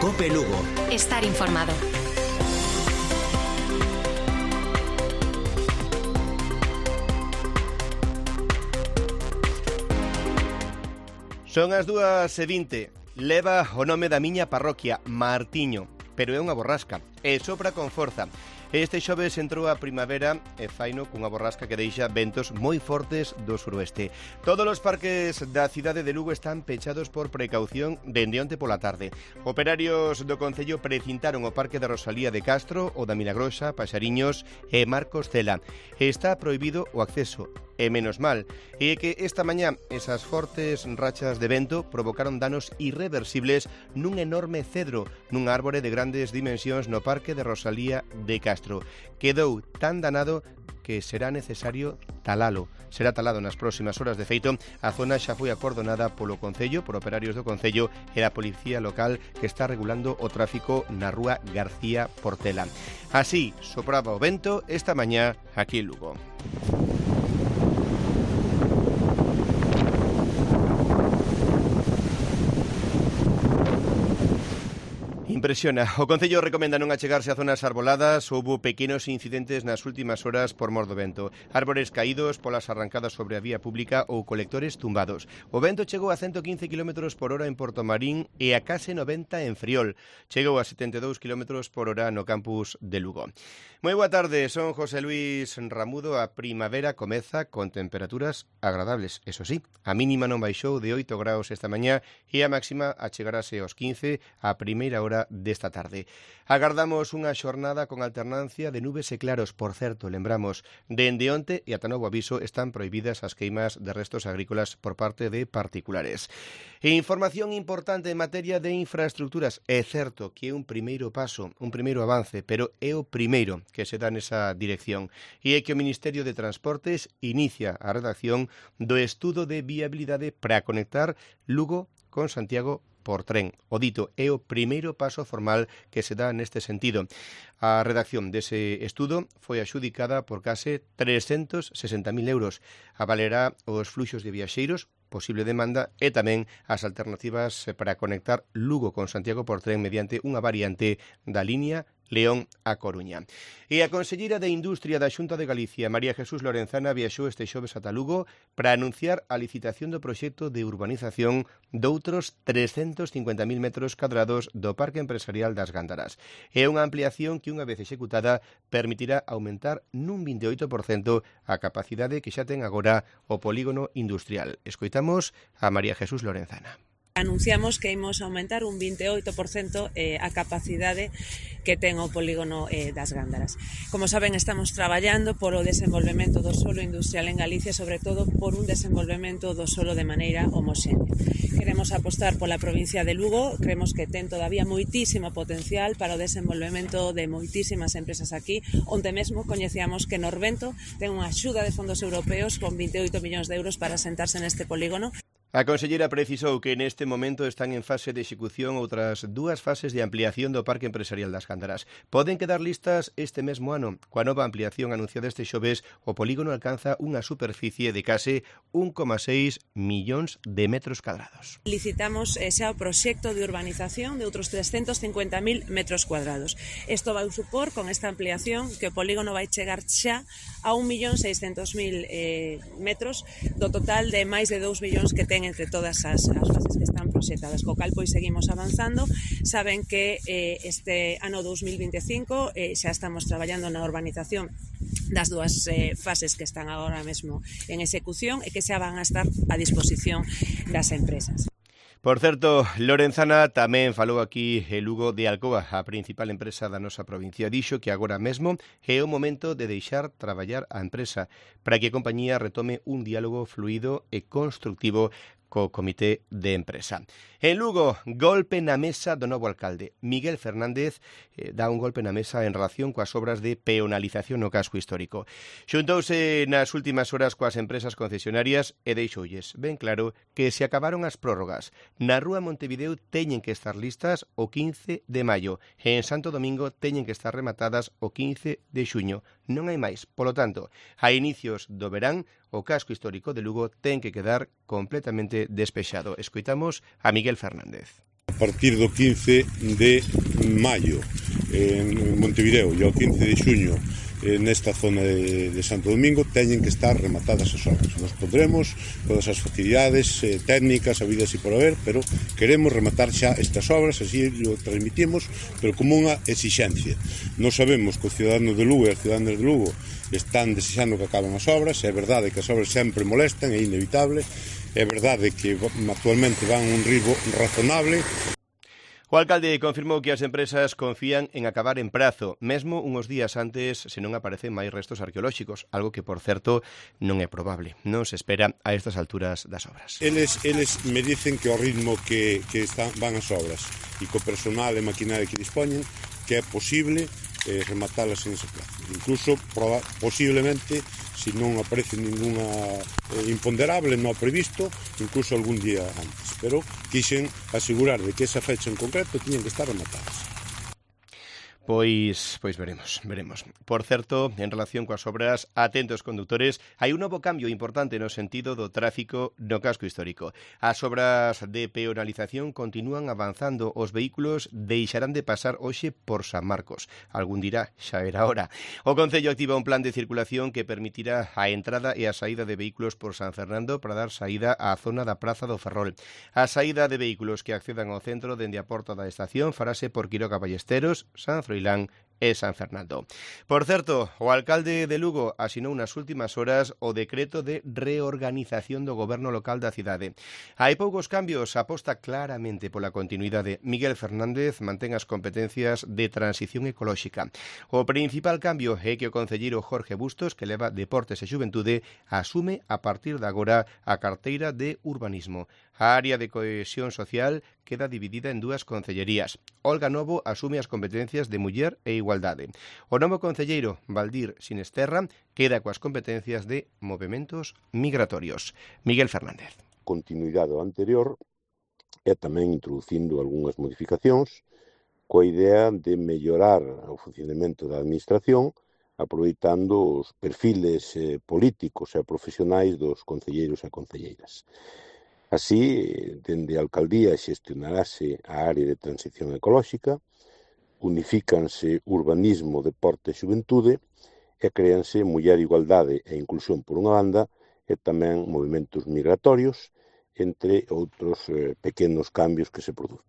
COPE Lugo. Estar informado. Son as 2:20. Leva o nome da miña parroquia, Martiño, pero é unha borrasca e sopra con forza. Este xoves entrou a primavera e faino cunha borrasca que deixa ventos moi fortes do suroeste. Todos os parques da cidade de Lugo están pechados por precaución dende onte pola tarde. Operarios do Concello precintaron o parque da Rosalía de Castro, o da Milagrosa, Paxariños e Marcos Cela. Está prohibido o acceso. E menos mal, e que esta mañá esas fortes rachas de vento provocaron danos irreversibles nun enorme cedro nun árbore de grandes dimensións no parque de Rosalía de Castro. Quedou tan danado que será necesario talalo. Será talado nas próximas horas. De feito, a zona xa foi acordonada polo Concello, por operarios do Concello e a Policía Local que está regulando o tráfico na rúa García Portela. Así sopraba o vento esta mañá aquí en Lugo. Impresiona. O Concello recomenda non achegarse a zonas arboladas. Houbo pequenos incidentes nas últimas horas por mor do vento. Árbores caídos, polas arrancadas sobre a vía pública ou colectores tumbados. O vento chegou a 115 km por hora en Portomarín e a case 90 en Friol. Chegou a 72 km por hora no campus de Lugo. Moi boa tarde, son José Luis Ramudo. A primavera comeza con temperaturas agradables. Eso sí, a mínima non baixou de 8 graus esta mañá e a máxima achegarase aos 15 a primeira hora desta tarde. Agardamos unha xornada con alternancia de nubes e claros. Por certo, lembramos, dende onte e ata novo aviso están prohibidas as queimas de restos agrícolas por parte de particulares. E información importante en materia de infraestructuras. É certo que é un primeiro paso, un primeiro avance, pero é o primeiro que se dá nesa dirección. E é que o Ministerio de Transportes inicia a redacción do estudo de viabilidade para conectar Lugo con Santiago por tren. O dito é o primeiro paso formal que se dá neste sentido. A redacción dese estudo foi axudicada por case 360.000 euros. Avalerá os fluxos de viaxeiros, posible demanda e tamén as alternativas para conectar Lugo con Santiago por tren mediante unha variante da línea León a Coruña. E a conselleira de Industria da Xunta de Galicia, María Jesús Lorenzana, viaxou este xoves ata Lugo para anunciar a licitación do proxecto de urbanización doutros 350.000 metros cadrados do Parque Empresarial das Gándaras. É unha ampliación que, unha vez executada, permitirá aumentar nun 28% a capacidade que xa ten agora o polígono industrial. Escoitamos a María Jesús Lorenzana. Anunciamos que imos aumentar un 28% a capacidade que ten o polígono das Gándaras. Como saben, estamos traballando por o desenvolvemento do solo industrial en Galicia, sobre todo por un desenvolvemento do solo de maneira homoxénea. Queremos apostar pola provincia de Lugo, creemos que ten todavía moitísimo potencial para o desenvolvemento de moitísimas empresas aquí, onde mesmo coñecíamos que Norvento ten unha axuda de fondos europeos con 28 millóns de euros para sentarse neste polígono. A conselleira precisou que neste momento están en fase de execución outras 2 fases de ampliación do Parque Empresarial das Gándaras. Poden quedar listas este mesmo ano. Coa nova ampliación anunciada este xoves, o polígono alcanza unha superficie de case 1,6 millóns de metros cadrados. Licitamos xa o proxecto de urbanización de outros 350.000 metros cuadrados. Isto vai supor, con esta ampliación, que o polígono vai chegar xa a 1.600.000 metros do total de máis de 2 millóns que ten entre todas as fases que están proxectadas. Co cal, pois, seguimos avanzando. Saben que este ano 2025 xa estamos traballando na urbanización das 2 fases que están agora mesmo en execución e que xa van a estar a disposición das empresas. Por certo, Lorenzana tamén falou aquí en Lugo de Alcoa, a principal empresa da nosa provincia. Dixo que agora mesmo é o momento de deixar traballar a empresa para que a compañía retome un diálogo fluido e constructivo co comité de empresa. En Lugo, golpe na mesa do novo alcalde. Miguel Fernández dá un golpe na mesa en relación coas obras de peonalización no casco histórico. Xuntouse nas últimas horas coas empresas concesionarias e deixoulles ben claro que se acabaron as prórrogas. Na Rúa Montevideo teñen que estar listas o 15 de maio e en Santo Domingo teñen que estar rematadas o 15 de xuño. Non hai máis. Polo tanto, a inicios do verán, o casco histórico de Lugo ten que quedar completamente despexado. Escoitamos a Miguel Fernández. partir do 15 de maio en Montevideo e ao 15 de xuño nesta zona de Santo Domingo teñen que estar rematadas as obras. Nos pondremos todas as facilidades técnicas habidas e por haber, pero queremos rematar xa estas obras, así lo transmitimos, pero como unha exixencia. Non sabemos que os ciudadanos de Lugo e as ciudadanas de Lugo están desexando que acaben as obras, é verdade que as obras sempre molestan, é inevitable, é verdade que actualmente van a un ritmo razonable. O alcalde confirmou que as empresas confían en acabar en prazo, mesmo uns días antes se non aparecen máis restos arqueolóxicos, algo que, por certo, non é probable. Non se espera a estas alturas das obras. Eles me dicen que ao ritmo que van as obras e co personal e maquinaria que dispoñen, que é posible rematalas en ese plazo. Incluso, posiblemente, se non aparece ninguna imponderable no previsto, incluso algún día antes. Pero quixen asegurar de que esa fecha en concreto tiñen que estar rematadas. Pois veremos. Por certo, en relación coas obras, atentos condutores, hai un novo cambio importante no sentido do tráfico no casco histórico. As obras de peonalización continúan avanzando, os vehículos deixarán de pasar hoxe por San Marcos. Algún dirá, xa era hora. O Concello activa un plan de circulación que permitirá a entrada e a saída de vehículos por San Fernando para dar saída á zona da Praza do Ferrol. A saída de vehículos que accedan ao centro dende a porta da estación farase por Quiroga Ballesteros, San Froilán e San Fernando. Por certo, o alcalde de Lugo asinou nas últimas horas o decreto de reorganización do goberno local da cidade. Hai poucos cambios, aposta claramente pola continuidade. Miguel Fernández mantén as competencias de transición ecolóxica. O principal cambio é que o concelleiro Jorge Bustos, que leva Deportes e Xuventude, asume a partir de agora a carteira de urbanismo. A área de cohesión social queda dividida en dúas concellerías. Olga Novo asume as competencias de Muller e Igualdade. O novo concelleiro, Valdir Sinesterra, queda coas competencias de movementos migratorios. Miguel Fernández. Continuidade ao anterior e tamén introducindo algunhas modificacións coa idea de mellorar o funcionamento da administración aproveitando os perfiles políticos e profesionais dos concelleiros e concelleiras. Así, dende a alcaldía xestionarase a área de transición ecolóxica, unifícanse urbanismo, deporte e xuventude e créanse Muller, Igualdade e Inclusión por unha banda e tamén movimentos migratorios, entre outros pequenos cambios que se producen.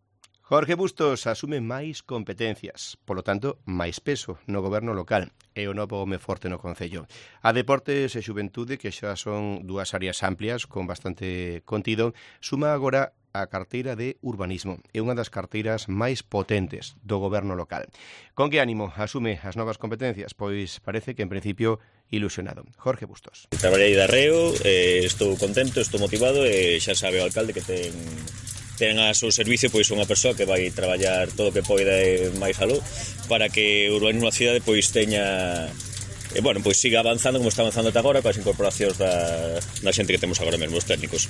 Jorge Bustos asume máis competencias, polo tanto, máis peso no goberno local e o novo home forte no Concello. A Deportes e Xuventude, que xa son dúas áreas amplias con bastante contido, suma agora a carteira de urbanismo. É unha das carteiras máis potentes do goberno local. Con que ánimo asume as novas competencias? Pois parece que en principio ilusionado. Jorge Bustos. Traballei de arreo, estou contento, estou motivado e xa sabe o alcalde que ten a seu servicio pois unha persoa que vai traballar todo o que poida e máis aló para que o urbanismo da cidade pois teña pois siga avanzando como está avanzando ata agora coas incorporacións da xente que temos agora mesmo, os técnicos.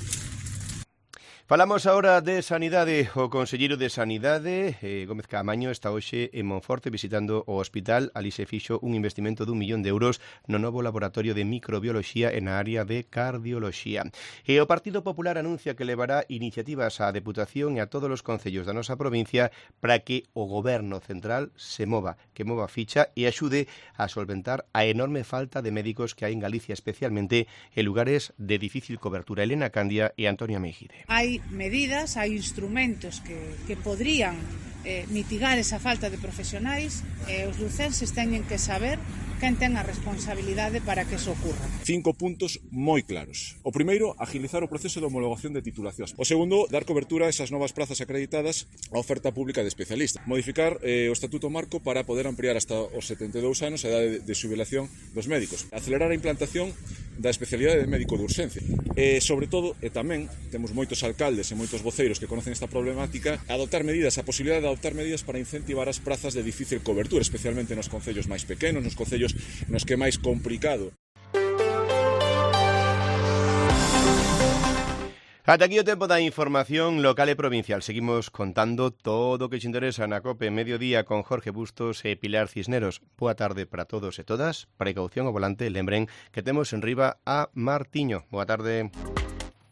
Falamos agora de Sanidade. O conselleiro de Sanidade, Gómez Caamaño, está hoxe en Monforte visitando o hospital. Ali se fixo un investimento de 1 millón de euros no novo laboratorio de microbioloxía en a área de cardioloxía. E o Partido Popular anuncia que levará iniciativas á Deputación e a todos os concellos da nosa provincia para que o goberno central se mova, que mova ficha e axude a solventar a enorme falta de médicos que hai en Galicia, especialmente en lugares de difícil cobertura. Elena Candia e Antonia Meijide. Hai medidas, hai instrumentos que podrían mitigar esa falta de profesionais e os lucenses teñen que saber quen ten a responsabilidade para que eso ocurra. 5 puntos moi claros. O primeiro, agilizar o proceso de homologación de titulacións. O segundo, dar cobertura a esas novas prazas acreditadas á oferta pública de especialistas. Modificar o Estatuto Marco para poder ampliar hasta os 72 anos a idade de xubilación dos médicos. Acelerar a implantación da especialidade de médico de urxencia. E, sobre todo, e tamén, temos moitos alcaldes e moitos voceiros que conocen esta problemática, adoptar medidas, a posibilidade de adoptar medidas para incentivar as prazas de difícil cobertura, especialmente nos concellos máis pequenos, nos concellos nos que é máis complicado. Ata aquí o tempo da información local e provincial. Seguimos contando todo o que te interesa na COPE Mediodía con Jorge Bustos e Pilar Cisneros. Boa tarde para todos e todas. Precaución ao volante. Lembren que temos en riba a Martiño. Boa tarde.